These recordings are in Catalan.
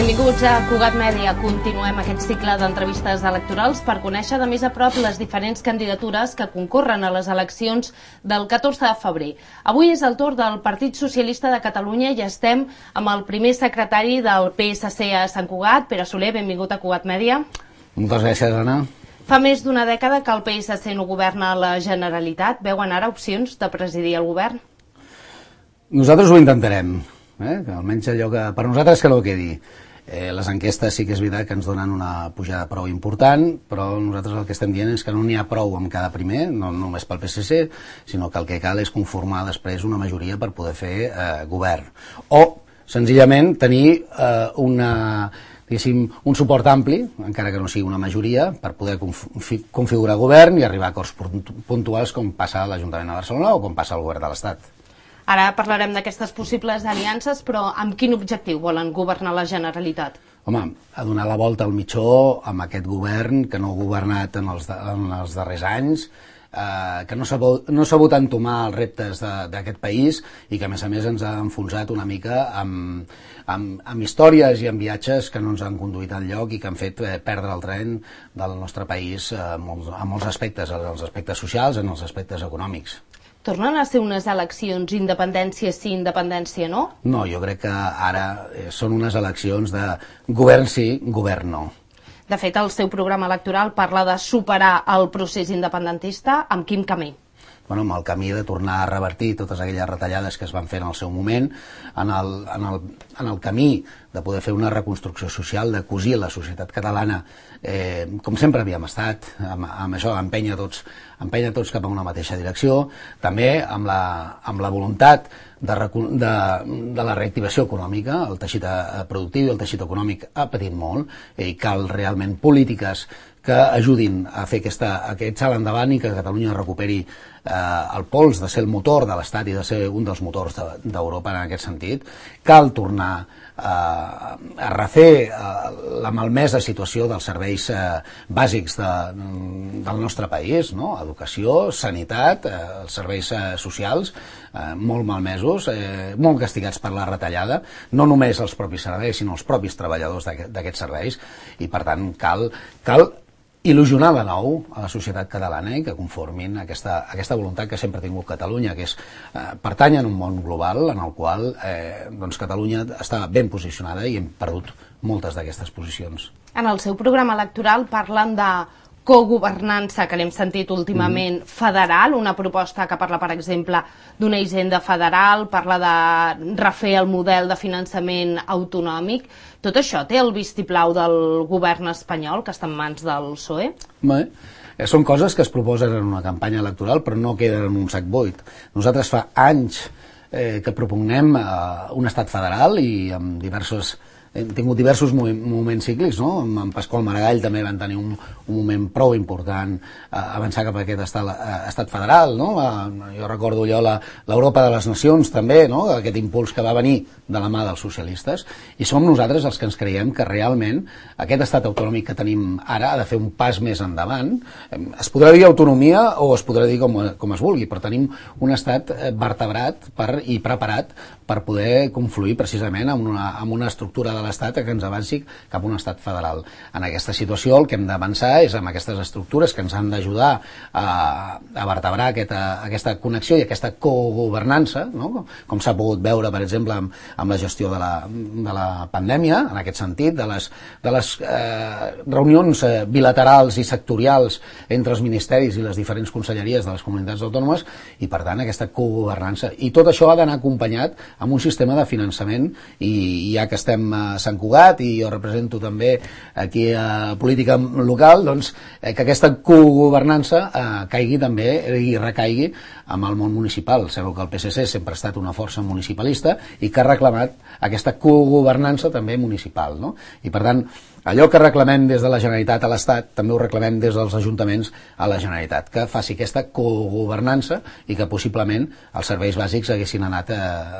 Benvinguts a Cugat Mèdia. Continuem aquest cicle d'entrevistes electorals per conèixer de més a prop les diferents candidatures que concorren a les eleccions del 14 de febrer. Avui és el torn del Partit Socialista de Catalunya i estem amb el primer secretari del PSC a Sant Cugat, Pere Soler. Benvingut a Cugat Mèdia. Moltes gràcies, Anna. Fa més d'una dècada que el PSC no governa la Generalitat. Veuen ara opcions de presidir el govern? Nosaltres ho intentarem. Que almenys allò que per nosaltres que no quedi. Les enquestes sí que és veritat que ens donen una pujada prou important, però nosaltres el que estem dient és que no n'hi ha prou amb cada primer, no només pel PSC, sinó que el que cal és conformar després una majoria per poder fer govern. O, senzillament, tenir un suport ampli, encara que no sigui una majoria, per poder configurar govern i arribar a acords puntuals com passa a l'Ajuntament de Barcelona o com passa al govern de l'Estat. Ara parlarem d'aquestes possibles aliances, però amb quin objectiu volen governar la Generalitat? Home, a donar la volta al mitjó amb aquest govern que no ha governat en els darrers anys, que no ha sabut entomar els reptes d'aquest país i que a més ens ha enfonsat una mica amb històries i amb viatges que no ens han conduït enlloc i que han fet perdre el tren del nostre país en molts aspectes, en els aspectes socials, en els aspectes econòmics. Tornen a ser unes eleccions independència sí, independència no? No, jo crec que ara són unes eleccions de govern sí, govern no. De fet, el seu programa electoral parla de superar el procés independentista. Amb quin camí? Amb el camí de tornar a revertir totes aquelles retallades que es van fer en el seu moment, en el camí de poder fer una reconstrucció social, de cosir la societat catalana, com sempre havíem estat, amb això, empènyer tots cap a una mateixa direcció, també amb la voluntat de la reactivació econòmica. El teixit productiu i el teixit econòmic ha patit molt i cal realment polítiques que ajudin a fer aquest salt endavant i que Catalunya recuperi el pols de ser el motor de l'Estat i de ser un dels motors d'Europa en aquest sentit. Cal tornar a refer la malmesa situació dels serveis bàsics del nostre país, no? Educació, sanitat, els serveis socials, molt malmesos, molt castigats per la retallada, no només els propis serveis, sinó els propis treballadors d'aquests serveis, i per tant cal il·lusionar de nou a la societat catalana i que conformin aquesta voluntat que sempre ha tingut Catalunya, que és pertany a un món global en el qual Catalunya està ben posicionada i hem perdut moltes d'aquestes posicions. En el seu programa electoral parlen de cogovernança, que l'hem sentit últimament, federal, una proposta que parla, per exemple, d'una hisenda federal, parla de refer el model de finançament autonòmic. Tot això té el vistiplau del govern espanyol, que està en mans del PSOE? Bé, són coses que es proposen en una campanya electoral, però no queden en un sac buit. Nosaltres fa anys que propugnem un estat federal i amb hem tingut diversos moments cíclics, no? Amb Pasqual Maragall també van tenir un moment prou important avançar cap a aquest estat federal, no? Jo recordo allò l'Europa de les Nacions també, no? Aquest impuls que va venir de la mà dels socialistes, i som nosaltres els que ens creiem que realment aquest estat autonòmic que tenim ara ha de fer un pas més endavant. Es podrà dir autonomia o es podrà dir com es vulgui, però tenim un estat vertebrat i preparat per poder confluir precisament amb una estructura de l'Estat que ens avanci cap a un estat federal. En aquesta situació el que hem d'avançar és amb aquestes estructures que ens han d'ajudar a vertebrar aquesta connexió i aquesta cogovernança, no? Com s'ha pogut veure, per exemple, amb la gestió de la pandèmia, en aquest sentit, de les reunions bilaterals i sectorials entre els ministeris i les diferents conselleries de les comunitats autònomes, i per tant aquesta cogovernança. I tot això ha d'anar acompanyat amb un sistema de finançament, i ja que estem a Sant Cugat i jo represento també aquí a política local, doncs que aquesta cogovernança caigui també i recaigui amb el món municipal. Sabeu que el PSC sempre ha estat una força municipalista i que ha reclamat aquesta cogovernança també municipal, no? I per tant allò que reclamem des de la Generalitat a l'Estat, també ho reclamem des dels ajuntaments a la Generalitat, que faci aquesta cogovernança i que possiblement els serveis bàsics haguessin anat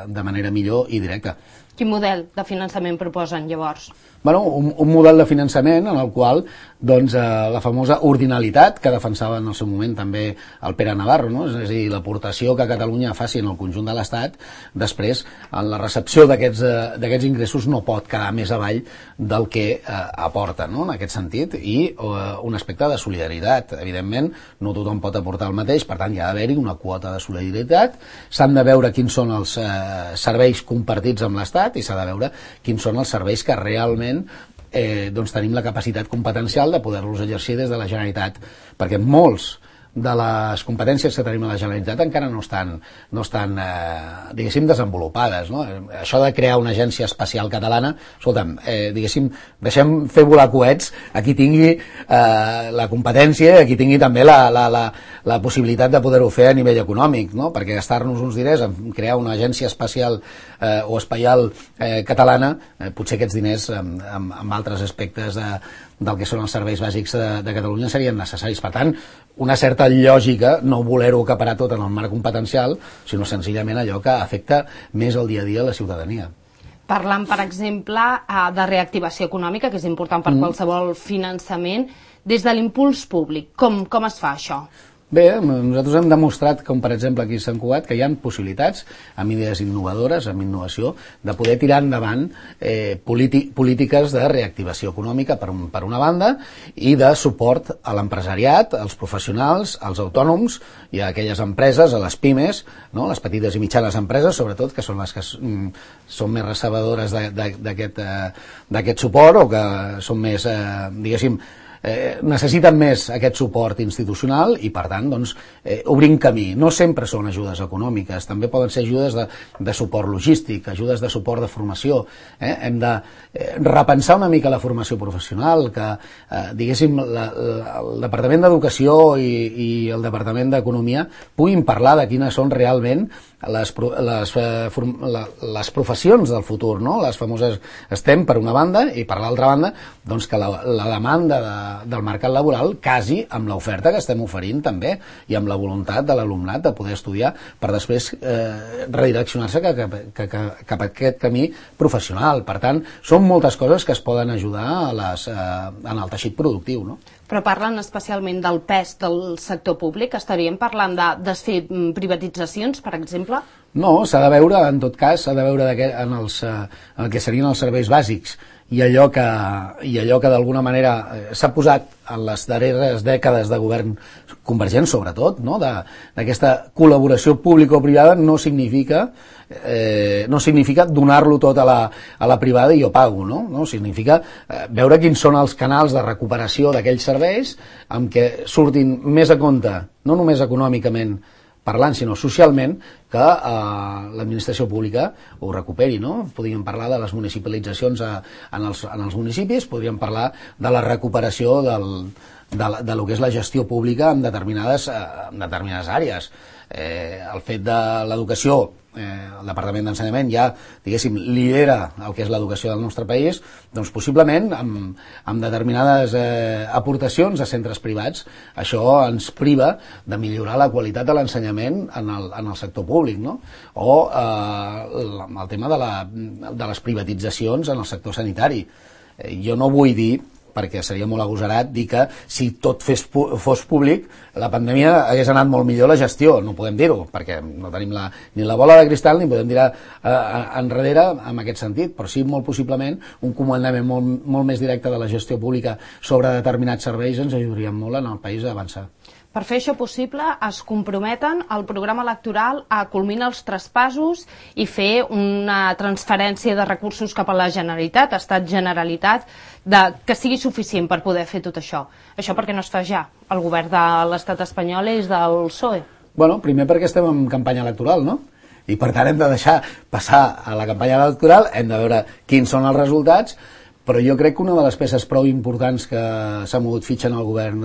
de manera millor i directa. Quin model de finançament proposen, llavors? Bueno, un model de finançament en el qual doncs, la famosa ordinalitat que defensava en el seu moment també el Pere Navarro, no? És a dir, l'aportació que Catalunya faci en el conjunt de l'Estat, després, en la recepció d'aquests ingressos no pot quedar més avall del que aporta, no? En aquest sentit, i un aspecte de solidaritat. Evidentment, no tothom pot aportar el mateix, per tant, hi ha d'haver-hi una quota de solidaritat, s'han de veure quins són els serveis compartits amb l'Estat i s'ha de veure quins són els serveis que realment doncs tenim la capacitat competencial de poder-los exercir des de la Generalitat, perquè molts de les competències que tenim a la Generalitat encara no estan diguéssim, desenvolupades, no? Això de crear una agència espacial catalana, escolta'm, diguéssim, deixem fer volar coets a qui tingui la competència, a qui tingui també la possibilitat de poder-ho fer a nivell econòmic, no? Perquè gastar-nos uns diners en crear una agència espacial o espaial catalana, potser aquests diners amb altres aspectes del que són els serveis bàsics de Catalunya serien necessaris. Per tant, una certa lògica, no voler-ho acaparar tot en el marc competencial, sinó senzillament allò que afecta més el dia a dia a la ciutadania. Parlant, per exemple, de reactivació econòmica, que és important per qualsevol finançament, des de l'impuls públic, com es fa això? Bé, nosaltres hem demostrat, com per exemple aquí a Sant Cugat, que hi ha possibilitats, amb idees innovadores, amb innovació, de poder tirar endavant polítiques de reactivació econòmica per una banda i de suport a l'empresariat, als professionals, als autònoms i a aquelles empreses, a les pimes, no? Les petites i mitjanes empreses, sobretot, que són les que són més recebedores d'aquest suport o que són més, diguéssim, necessiten més aquest suport institucional i per tant doncs, obrim camí. No sempre són ajudes econòmiques, també poden ser ajudes de suport logístic, ajudes de suport de formació. Hem de repensar una mica la formació professional, que diguéssim el Departament d'Educació i el Departament d'Economia puguin parlar de quines són realment les professions del futur, no? Les famoses STEM per una banda i per l'altra banda doncs que la demanda del mercat laboral casi amb l'oferta que estem oferint també i amb la voluntat de l'alumnat de poder estudiar per després redireccionar-se cap a aquest camí professional. Per tant, són moltes coses que es poden ajudar en el teixit productiu, no? Però parlen especialment del pes del sector públic. Estaríem parlant de desfer privatitzacions, per exemple? No, s'ha de veure, en tot cas, s'ha de veure en el que serien els serveis bàsics i allò que d'alguna manera s'ha posat en les darreres dècades de govern convergent, sobretot, no? D'aquesta col·laboració público-privada no significa donar-lo tot a la privada i jo pago, no? No significa veure quins són els canals de recuperació d'aquells serveis amb què surtin més a compte, no només econòmicament parlant, sinó socialment, que l'administració pública ho recuperi, no? Podríem parlar de les municipalitzacions en els municipis, podríem parlar de la recuperació de lo que és la gestió pública en determinades àrees. El fet de l'educació, el Departament d'Ensenyament ja, diguéssim, lidera el que és l'educació del nostre país, doncs possiblement amb determinades aportacions a centres privats això ens priva de millorar la qualitat de l'ensenyament en el sector públic, no? O el tema de les privatitzacions en el sector sanitari. Jo no vull dir, perquè seria molt agosarat dir que si tot fos públic la pandèmia hagués anat molt millor la gestió. No podem dir-ho, perquè no tenim ni la bola de cristal ni podem dir enrere en aquest sentit, però sí molt possiblement un comandament molt més directe de la gestió pública sobre determinats serveis ens ajudaria molt en el país a avançar. Per fer això possible, es comprometen al programa electoral a culminar els traspassos i fer una transferència de recursos cap a la Generalitat, Estat-Generalitat, que sigui suficient per poder fer tot això. Això perquè no es fa ja. El govern de l'Estat espanyol és del PSOE. Bueno, primer perquè estem en campanya electoral, no? I per tant hem de deixar passar a la campanya electoral, hem de veure quins són els resultats, Però jo crec que una de les peces prou importants que s'ha mogut fitxa en el govern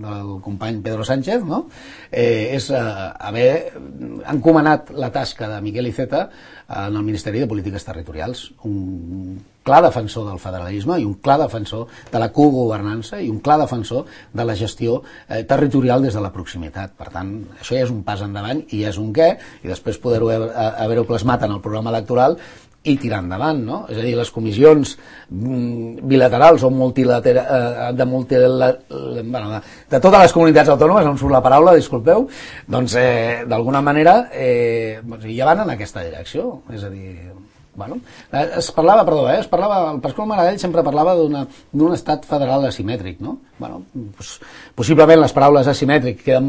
del company Pedro Sánchez, no? És haver encomanat la tasca de Miquel Iceta en el Ministeri de Polítiques Territorials, un clar defensor del federalisme i un clar defensor de la cogovernança i un clar defensor de la gestió territorial des de la proximitat. Per tant, això ja és un pas endavant i ja és un què, i després poder-ho haver-ho plasmat en el programa electoral i tirar endavant, no? És a dir, les comissions bilaterals o de totes les comunitats autònomes, no em surt la paraula, disculpeu, doncs d'alguna manera ja van en aquesta direcció, és a dir, bueno, el Pasqual Maragall sempre parlava d'un estat federal asimètric, no? Bueno, possiblement les paraules asimètric queden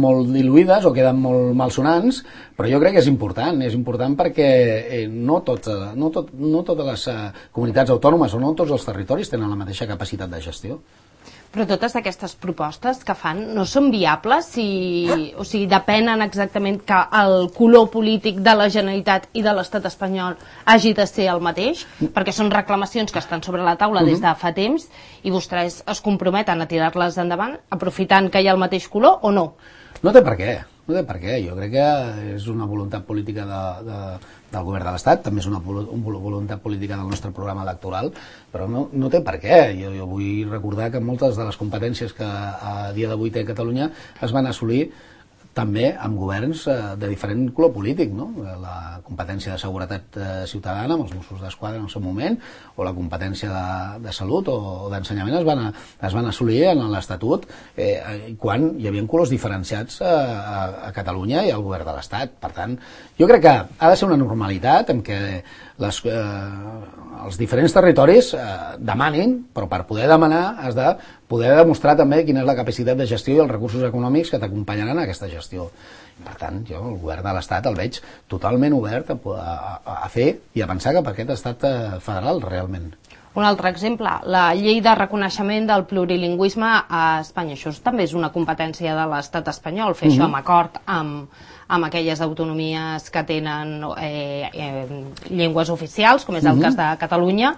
molt diluïdes o queden molt malsonants, però jo crec que és important perquè no totes les comunitats autònomes o no tots els territoris tenen la mateixa capacitat de gestió. Però totes aquestes propostes que fan no són viables, o sigui, depenen exactament que el color polític de la Generalitat i de l'Estat espanyol hagi de ser el mateix, perquè són reclamacions que estan sobre la taula des de fa temps i vostès es comprometen a tirar-les endavant aprofitant que hi ha el mateix color o no? No té per què. Jo crec que és una voluntat política del govern de l'Estat, també és una voluntat política del nostre programa electoral, però no té per què. Jo vull recordar que moltes de les competències que a dia d'avui té Catalunya es van assolir també amb governs de diferent color polític, no? La competència de seguretat ciutadana amb els Mossos d'Esquadra en el seu moment, o la competència de salut o d'ensenyament es van assolir en l'Estatut quan hi havia colors diferenciats a Catalunya i al govern de l'Estat. Per tant, jo crec que ha de ser una normalitat en què els diferents territoris demanin, però per poder demanar has de poder demostrar també quina és la capacitat de gestió i els recursos econòmics que t'acompanyaran a aquesta gestió. Per tant, jo el govern de l'Estat el veig totalment obert a fer i a pensar cap a aquest estat federal realment. Un altre exemple, la llei de reconeixement del plurilingüisme a Espanya. Això també és una competència de l'Estat espanyol, fer això amb acord amb aquelles autonomies que tenen llengües oficials, com és el cas de Catalunya,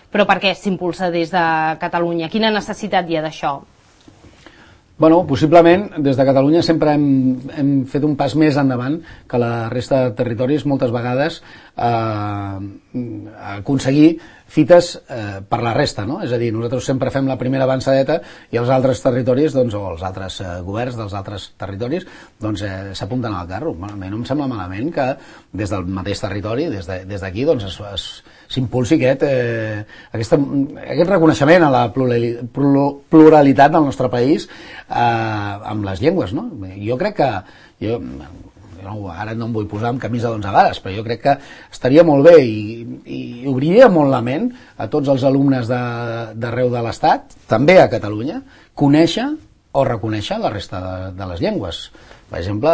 però per què s'impulsa des de Catalunya? Quina necessitat hi ha d'això? Bueno, possiblement des de Catalunya sempre hem fet un pas més endavant que la resta de territoris moltes vegades aconseguir fites per la resta, no? És a dir, nosaltres sempre fem la primera avançadeta i els altres territoris, doncs, o els altres governs dels altres territoris, doncs s'apunten al carro. A mi no em sembla malament que des del mateix territori, des d'aquí, doncs s'impulsi aquest reconeixement a la pluralitat del nostre país amb les llengües, no? Jo crec que ara no em vull posar amb camisa d'11 vares, però jo crec que estaria molt bé i obriria molt la ment a tots els alumnes d'arreu de l'Estat, també a Catalunya, conèixer o reconèixer la resta de les llengües. Per exemple,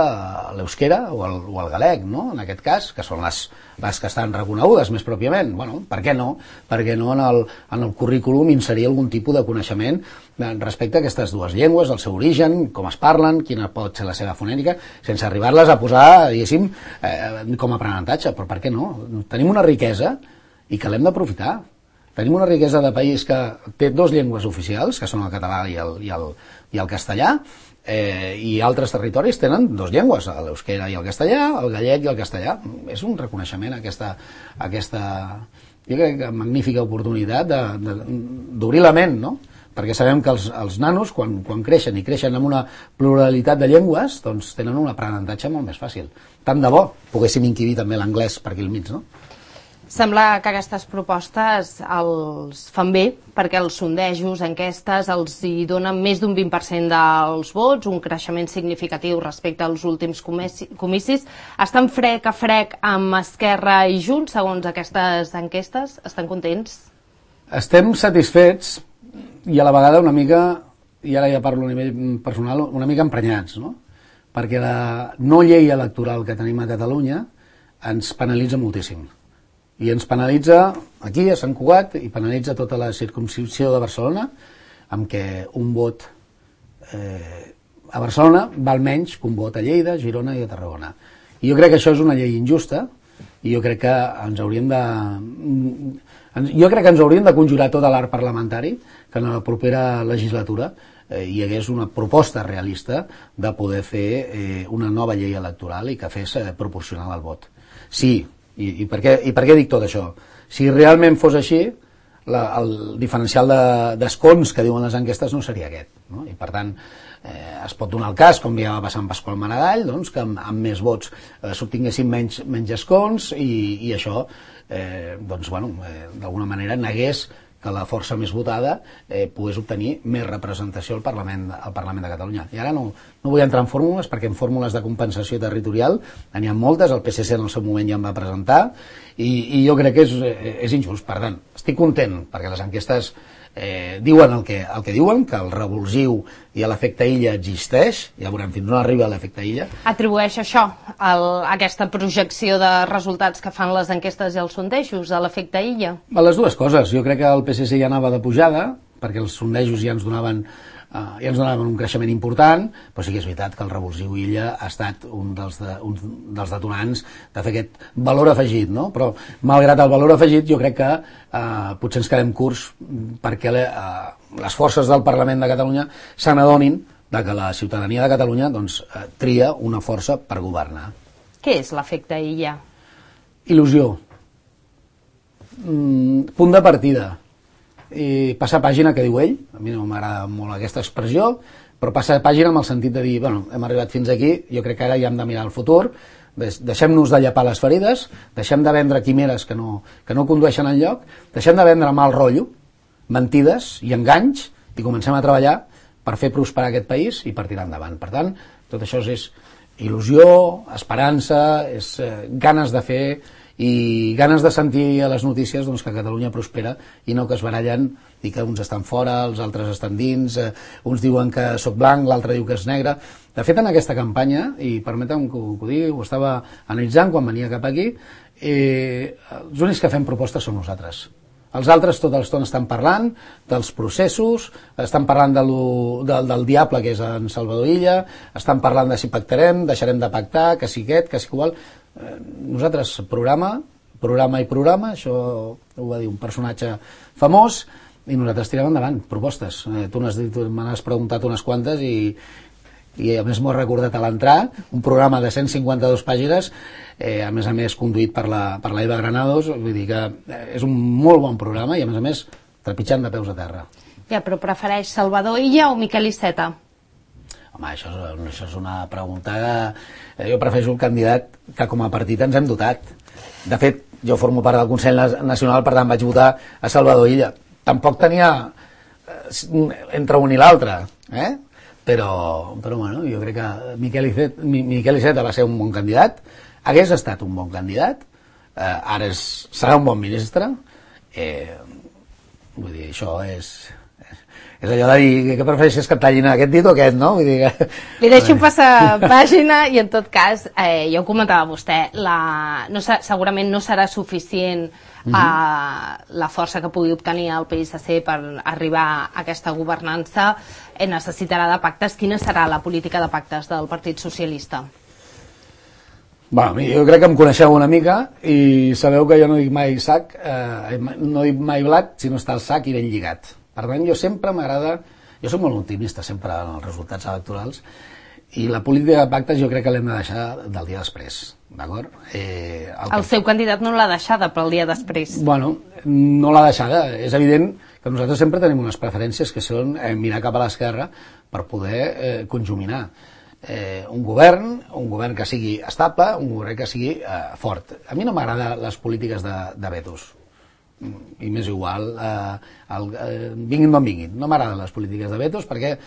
l'euskera o el galec, no? En aquest cas, que són les que estan reconegudes més pròpiament. Bueno, per què no? Per què no en el currículum inserir algun tipus de coneixement respecte a aquestes dues llengües, el seu origen, com es parlen, quina pot ser la seva fonètica, sense arribar-les a posar, diguéssim, com a aprenentatge. Però per què no? Tenim una riquesa i que l'hem d'aprofitar. Tenim una riquesa de país que té dues llengües oficials, que són el català i el castellà, i altres territoris tenen dues llengües, l'euskera i el castellà, el gallec i el castellà. És un reconeixement a aquesta jo crec que magnífica oportunitat d'obrir la ment, no? Perquè sabem que els nanos, quan creixen i creixen amb una pluralitat de llengües, doncs tenen un aprenentatge molt més fàcil. Tant de bo poguéssim inquirir també l'anglès per aquí al mig, no? Sembla que aquestes propostes els fan bé, perquè els sondejos, enquestes, els hi donen més d'un 20% dels vots, un creixement significatiu respecte als últims comicis. Estan frec a frec amb Esquerra i Junts, segons aquestes enquestes? Estan contents? Estem satisfets i a la vegada una mica, i ara ja parlo a nivell personal, una mica emprenyats, no? Perquè la no llei electoral que tenim a Catalunya ens penalitza moltíssim. I ens penalitza aquí, a Sant Cugat, i penalitza tota la circumscripció de Barcelona, amb què un vot a Barcelona val menys que un vot a Lleida, Girona i a Tarragona. I jo crec que això és una llei injusta, i jo crec que ens hauríem de conjurar tot l'art parlamentari que en la propera legislatura hi hagués una proposta realista de poder fer una nova llei electoral i que fes proporcional al vot. Sí, i per què dic tot això? Si realment fos així, el diferencial d'escons que diuen les enquestes no seria aquest, no? I per tant es pot donar el cas, com ja va passar amb Pasqual Maragall, doncs, que amb més vots s'obtinguessin menys escons i això d'alguna manera negués que la força més votada pogués obtenir més representació al Parlament de Catalunya. I ara no vull entrar en fórmules, perquè en fórmules de compensació territorial n'hi ha moltes, el PSC en el seu moment ja en va presentar, i jo crec que és injust. Per tant, estic content, perquè les enquestes diuen el que diuen, que el revulsiu i l'efecte illa existeix, ja veurem fins on arriba l'efecte illa. Atribueix això, aquesta projecció de resultats que fan les enquestes i els sondejos, a l'efecte illa? A les dues coses. Jo crec que el PSC ja anava de pujada, perquè els sondejos ja ens donaven un creixement important, però sí que és veritat que el revulsiu illa ha estat un dels detonants de fer aquest valor afegit, no? Però malgrat el valor afegit jo crec que potser ens quedem curts perquè les forces del Parlament de Catalunya se n'adonin que la ciutadania de Catalunya tria una força per governar. Què és l'efecte illa? Il·lusió. Punt de partida. I passar pàgina, que diu ell, a mi no m'agrada molt aquesta expressió, però passar pàgina amb el sentit de dir, bueno, hem arribat fins aquí, jo crec que ara ja hem de mirar el futur, deixem-nos de llepar les ferides, deixem de vendre quimeres que no condueixen enlloc, deixem de vendre mal rotllo, mentides i enganys, i comencem a treballar per fer prosperar aquest país i per tirar endavant. Per tant, tot això és il·lusió, esperança, és ganes de fer i ganes de sentir a les notícies que Catalunya prospera i no que es barallen i que uns estan fora, els altres estan dins, uns diuen que sóc blanc, l'altre diu que és negre. De fet, en aquesta campanya, i permetem que ho digui, ho estava analitzant quan venia cap aquí, els únics que fem propostes som nosaltres. Els altres tota l'estona estan parlant dels processos, estan parlant del diable que és en Salvador Illa, estan parlant de si pactarem, deixarem de pactar, que si aquest, que si igual. Nosaltres programa, això ho va dir un personatge famós, i nosaltres tirem endavant propostes. Tu me n'has preguntat unes quantes i a més m'ho he recordat a l'entrar, un programa de 152 pàgines, a més conduït per la Eva Granados, vull dir que és un molt bon programa i a més trepitjant de peus a terra. Ja, però prefereix Salvador Illa o Miquel Iceta? Home, això és una pregunta que jo prefereixo el candidat que com a partit ens hem dotat. De fet, jo formo part del Consell Nacional, per tant vaig votar a Salvador Illa. Tampoc tenia entre un i l'altre, però bueno, jo crec que Miquel Iceta va ser un bon candidat, hagués estat un bon candidat, ara serà un bon ministre, vull dir, això és allò de dir que prefereixes que et tallin aquest dit o aquest, no? Vull dir que... Li deixo passar pàgina i en tot cas, ja ho comentava vostè, segurament no serà suficient la força que pugui obtenir el PSC per arribar a aquesta governança, necessitarà de pactes. Quina serà la política de pactes del Partit Socialista? Jo crec que em coneixeu una mica i sabeu que jo no dic mai sac, no dic mai blat, sinó està el sac i ben lligat. Per tant, jo sempre m'agrada, jo soc molt optimista sempre en els resultats electorals, i la política de pactes jo crec que l'hem de deixar del dia després, d'acord? El seu candidat no l'ha deixada per al dia després. Bueno, no l'ha deixada. És evident que nosaltres sempre tenim unes preferències que són mirar cap a l'esquerra per poder conjuminar un govern que sigui estable, un govern que sigui fort. A mi no m'agrada les polítiques de vetos, i m'és igual, vinguin d'on vinguin. No m'agraden les polítiques de vetos perquè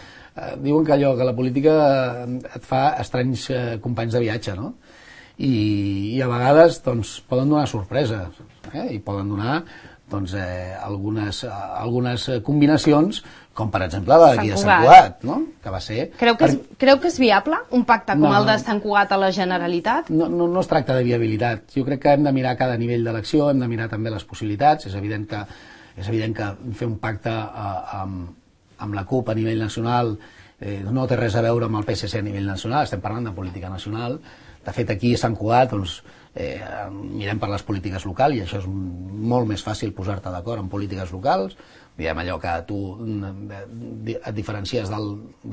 diuen que la política et fa estranys companys de viatge, no? I a vegades poden donar sorpreses, i poden donar algunes combinacions, com per exemple la d'aquí de Sant Cugat, no? Que va ser... Creu que és viable un pacte com el de Sant Cugat a la Generalitat? No es tracta de viabilitat. Jo crec que hem de mirar cada nivell d'elecció, hem de mirar també les possibilitats. És evident que fer un pacte amb la CUP a nivell nacional no té res a veure amb el PSC a nivell nacional, estem parlant de política nacional. De fet, aquí a Sant Cugat mirem per les polítiques locals, i això és molt més fàcil posar-te d'acord en polítiques locals. Diguem, allò que tu et diferencies de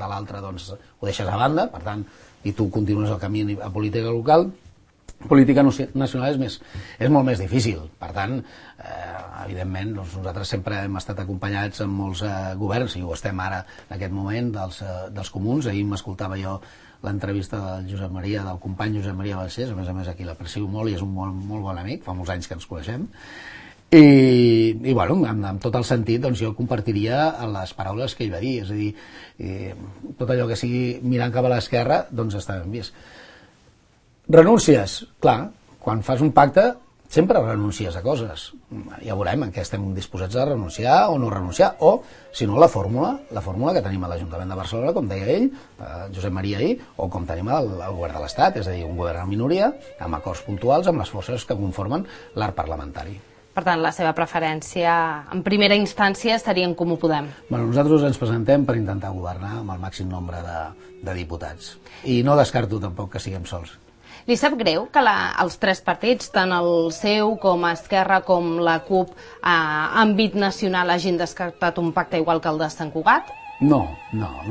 l'altre, doncs ho deixes a banda, per tant, i tu continues el camí a política local. Política nacional és molt més difícil. Per tant, evidentment, doncs nosaltres sempre hem estat acompanyats en molts governs, i ho estem ara en aquest moment, dels comuns. Ahir m'escoltava jo l'entrevista del Josep Maria, del company Josep Maria Balcells, a més aquí l'aprecio molt i és un molt bon amic, fa molts anys que ens coneixem. I bueno, amb tot el sentit, doncs jo compartiria les paraules que ell va dir, és a dir, tot allò que sigui mirant cap a l'esquerra, doncs està ben vist. Renúncies, clar, quan fas un pacte sempre renuncies a coses. Ja veurem en què estem disposats a renunciar o no renunciar, o, si no, la fórmula que tenim a l'Ajuntament de Barcelona, com deia ell, Josep Maria ahir, o com tenim al govern de l'Estat, és a dir, un govern en minoria, amb acords puntuals amb les forces que conformen l'arc parlamentari. Per tant, la seva preferència, en primera instància, estaria en Comú Podem. Bueno, nosaltres ens presentem per intentar governar amb el màxim nombre de diputats. I no descarto tampoc que siguem sols. Li sap greu que els tres partits, tant el seu com Esquerra com la CUP, a àmbit nacional hagin descartat un pacte igual que el de Sant Cugat? No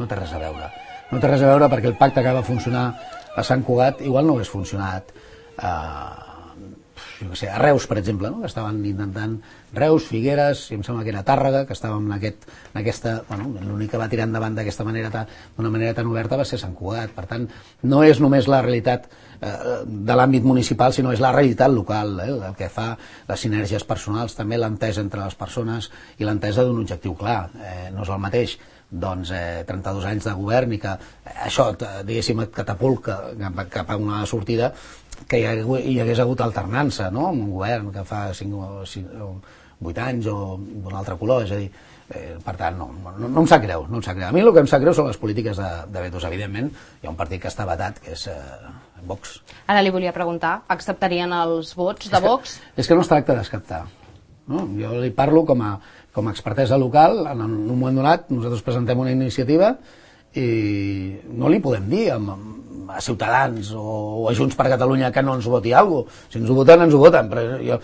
té res a veure. No té res a veure perquè el pacte que va funcionar a Sant Cugat igual no hagués funcionat a Reus, per exemple, no? Que estaven intentant Reus, Figueres, i em sembla que era Tàrrega, que estàvem en aquesta... Bueno, l'únic que va tirar endavant d'una manera tan oberta va ser Sant Cugat. Per tant, no és només la realitat de l'àmbit municipal, sinó és la realitat local, el que fa les sinergies personals, també l'entesa entre les persones i l'entesa d'un objectiu clar. No és el mateix 32 anys de govern i que això, diguéssim, et catapulta cap a una sortida, que hi hagués hagut alternança, no?, amb un govern que fa 5 o 8 anys o d'un altre color. És a dir, per tant, no em sap greu, A mi el que em sap greu són les polítiques de vetos. Evidentment, hi ha un partit que està vetat, que és Vox. Ara li volia preguntar, acceptarien els vots de Vox? És que no es tracta d'acceptar. No? Jo li parlo com a expertesa local. En un moment donat nosaltres presentem una iniciativa i no li podem dir a Ciutadans o a Junts per Catalunya que no ens voti alguna cosa. Si ens ho voten, ens ho voten. Però jo,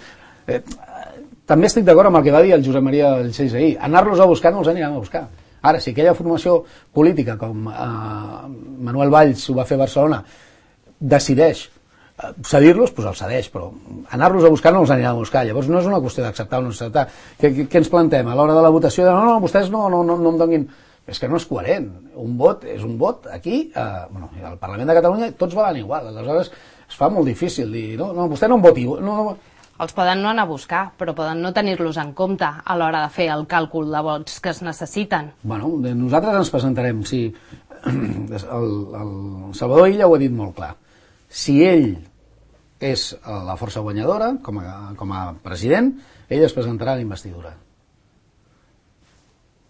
també estic d'acord amb el que va dir el Josep Maria Balcells ahir. Anar-los a buscar no els anirem a buscar. Ara, si aquella formació política com Manuel Valls ho va fer a Barcelona decideix cedir-los, doncs els cedeix, però anar-los a buscar no els anirem a buscar. Llavors no és una qüestió d'acceptar o no acceptar. Què ens plantem a l'hora de la votació? No, vostès no em donin... És que no és coherent. Un vot és un vot. Aquí, al Parlament de Catalunya, tots valen igual. Aleshores es fa molt difícil dir, no, vostè no em voti. No. Els poden no anar a buscar, però poden no tenir-los en compte a l'hora de fer el càlcul de vots que es necessiten. Bueno, nosaltres ens presentarem. Si el Salvador Illa ho ha dit molt clar. Si ell és la força guanyadora, com a president, ell es presentarà a la investidura.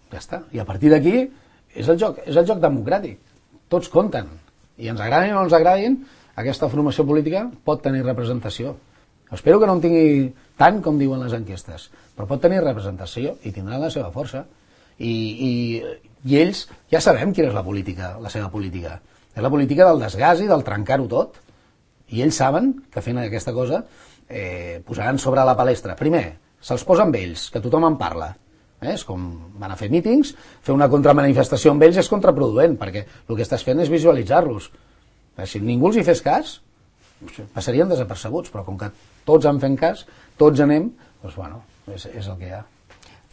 Ja està. I a partir d'aquí és el joc democràtic. Tots compten. I ens agradin o no ens agradin, aquesta formació política pot tenir representació. Espero que no en tingui tant com diuen les enquestes, però pot tenir representació i tindran la seva força. I ells ja sabem quina és la seva política. És la política del desgast i del trencar-ho tot. I ells saben que fent aquesta cosa posaran sobre la palestra. Primer, se'ls posa amb ells, que tothom en parla. És com van a fer mítings, fer una contramanifestació amb ells és contraproduent, perquè el que estàs fent és visualitzar-los. Si ningú els hi fes cas, passarien desapercebuts, però com que tots en fem cas, tots anem, doncs bueno, és el que hi ha.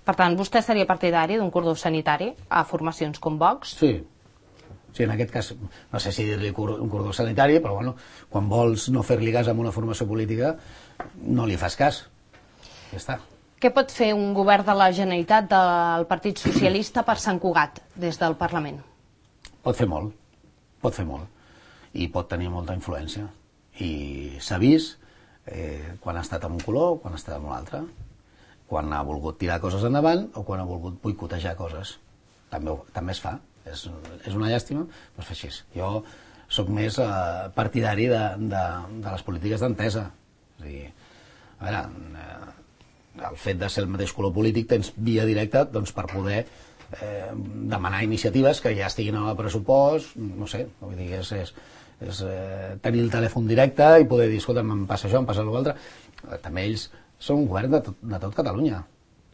Per tant, vostè seria partidari d'un cordó sanitari a formacions com Vox? Sí, en aquest cas, no sé si dir-li un cordó sanitari, però bueno, quan vols no fer-li cas a una formació política, no li fas cas. Ja està. Què pot fer un govern de la Generalitat del Partit Socialista per Sant Cugat des del Parlament? Pot fer molt. I pot tenir molta influència. I s'ha vist quan ha estat amb un color, quan ha estat amb un altre. Quan ha volgut tirar coses endavant o quan ha volgut boicotejar coses. També es fa. És una llàstima, però es fa així. Jo sóc més partidari de les polítiques d'entesa. És a dir, a veure, el fet de ser el mateix color polític tens via directa per poder demanar iniciatives que ja estiguin en el pressupost, no sé, vull dir, tenir el telèfon directe i poder dir, escolta, em passa això, em passa l'altre. També ells són un govern de tot Catalunya.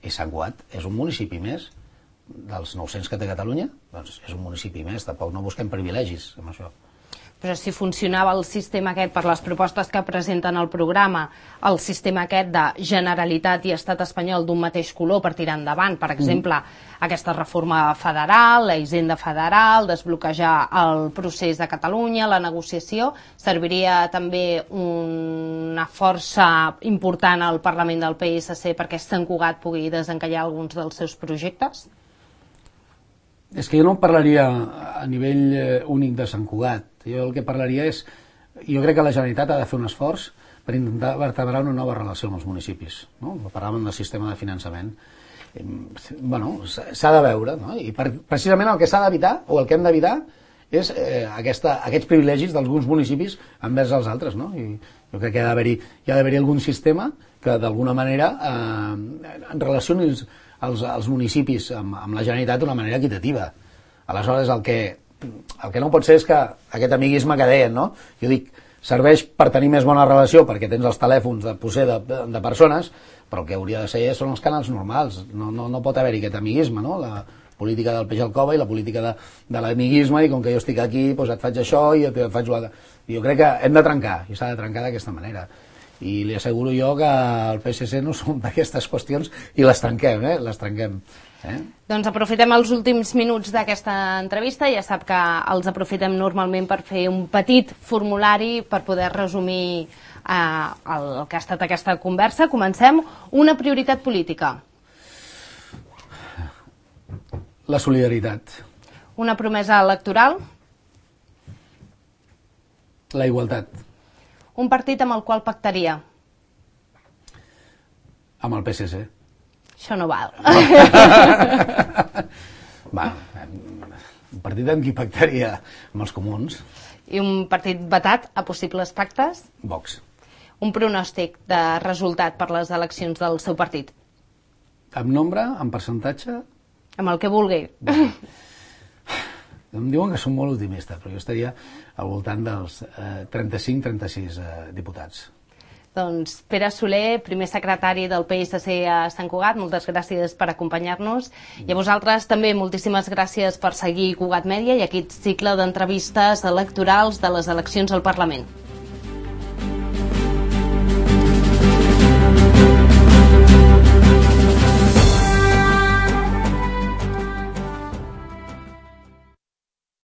I Sant Cugat és un municipi més dels 900 que té Catalunya, doncs és un municipi més, tampoc no busquem privilegis amb això. Però si funcionava el sistema aquest per les propostes que presenten al programa, el sistema aquest de Generalitat i Estat espanyol d'un mateix color per tirar endavant, per exemple, aquesta reforma federal, la hisenda federal, desbloquejar el procés de Catalunya, la negociació, serviria també una força important al Parlament del PSC perquè Sant Cugat pugui desencallar alguns dels seus projectes? És que jo no parlaria a nivell únic de Sant Cugat. Jo el que parlaria és... Jo crec que la Generalitat ha de fer un esforç per intentar vertebrar una nova relació amb els municipis. No? Parlàvem del sistema de finançament. Bueno, s'ha de veure, no? I precisament el que s'ha d'evitar, o el que hem d'evitar, és aquests privilegis d'alguns municipis envers els altres. No? I jo crec que hi ha d'haver-hi algun sistema que d'alguna manera relacioni els municipis amb la Generalitat d'una manera equitativa. Aleshores, el que no pot ser és que aquest amiguisme que deien, no? Jo dic, serveix per tenir més bona relació perquè tens els telèfons de persones, però el que hauria de ser són els canals normals. No pot haver-hi aquest amiguisme, no? La política del peix al cova i la política de l'amiguisme, i com que jo estic aquí, doncs et faig això i et faig l'altre. Jo crec que hem de trencar, i s'ha de trencar d'aquesta manera. I li asseguro jo que el PSC no som d'aquestes qüestions i les trenquem, les trenquem. Doncs aprofitem els últims minuts d'aquesta entrevista. Ja sap que els aprofitem normalment per fer un petit formulari per poder resumir el que ha estat aquesta conversa. Comencem. Una prioritat política. La solidaritat. Una promesa electoral. La igualtat. Un partit amb el qual pactaria. Amb el PSC. Això no val. Va, un partit amb qui pactaria? Amb els comuns. I un partit vetat a possibles pactes? Vox. Un pronòstic de resultat per les eleccions del seu partit? Amb nombre, amb percentatge? Amb el que vulgui. Em diuen que som molt optimistes, però jo estaria al voltant dels 35-36 diputats. Doncs Pere Soler, primer secretari del PSC a Sant Cugat, moltes gràcies per acompanyar-nos. I a vosaltres també moltíssimes gràcies per seguir Cugat Mèdia i aquest cicle d'entrevistes electorals de les eleccions al Parlament.